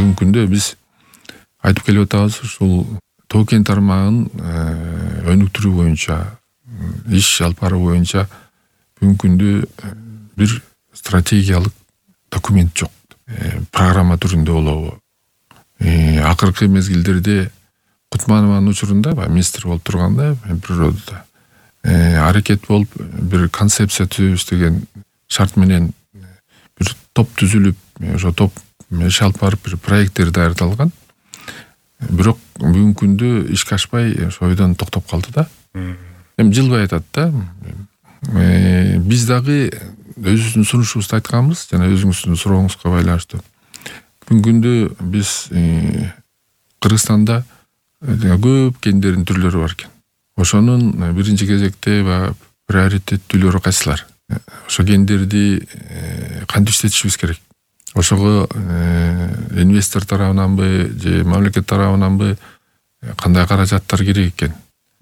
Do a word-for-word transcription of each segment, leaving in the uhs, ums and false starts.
бүгүнкү күндө биз айтып келип атабыз, ушул тоо кен тармагын өнүктүрүү боюнча, иш алып баруу боюнча бүгүнкү күндө бир стратегиялык документ жок. Программа түрүндө болобу. Акыркы мезгилдерде Кутманованын учурунда министр болуп турганда природада аракет болуп бир концепция түзөбүз деген шарт менен бир топ түзүлүп, ошо топ иш алып барып бир проекттер даярдалган. Бирок бүгүнкү күндө ишке ашпай ошо ойдон токтоп калды да. Эми жылбай атат да. Биз дагы өзүбүздүн сунушубузду айтканбыз, жана өзүңүздүн сурооңузга байланыштуу. Бүгүнкү күндө биз Кыргызстанда көп кендердин түрлөрү бар экен. Ошонун биринчи кезекте приоритеттүүлөрү кайсылар? Ошо кендерди кантип иштетишибиз керек? Ошого инвестор тарабынанбы же мамлекет тарабынанбы кандай каражаттар керек экен?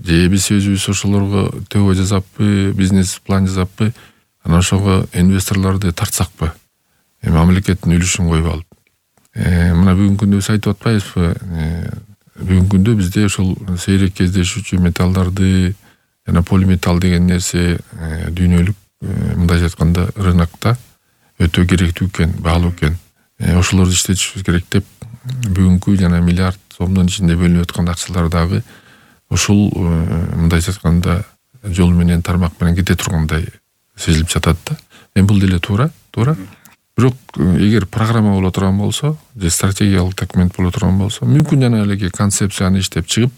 Же биз өзүбүз ошолорго төбө жасаппы, бизнес план жасаппы, анан ошого инвесторлорду тартсакпы? Мамлекеттин үлүшүн коюп алып. Мына бүгүнкү күндө биз айтып атпайбызбы? Бүгүнкү күндө бизде ошол сейрек кездешүүчү металлдарды жана полиметалл деген нерсе дүйнөлүк мындай айтканда рынокто өтө керектүү экен, баалуу экен. Ошолорду иштетишибиз керек деп бүгүнкү жана миллиард сомдун ичинде бөлүнүп аткан акчалар дагы ушул мындай айтканда жол менен, тармак менен кете тургандай сезилип жатат да. Эми бул деле туура, туура. Бирок эгер программа боло турган болсо, же стратегиялык документ боло турган болсо, мүмкүн жана эле концепцияны иштеп чыгып,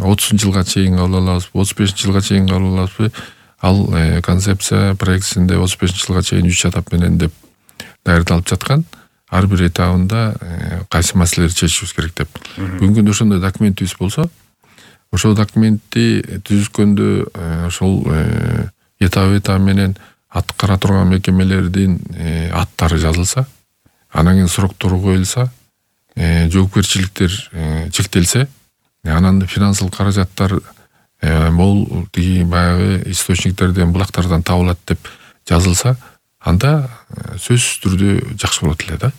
отузунчу жылга чейин кабыл алабызбы, отуз бешинчи жылга чейин кабыл алабызбы, ал концепция проектисинде отуз бешинчи жылга чейин үч этап менен деп даярдалып жаткан. Ар бир этабында кайсы маселелерди чечишибиз керек деп. Бүгүнкү күндө ошондой документибиз болсо, ошол документти түзүшкөндө ошол этап-этап менен аткара турган мекемелердин аттары жазылса, анан кийин сроктору коюлса, жоопкерчиликтер чектелсе, анан финансылык каражаттар мол тиги баягы источниктерден, булактардан табылат деп жазылса, анда сөзсүз түрдө жакшы болот эле да.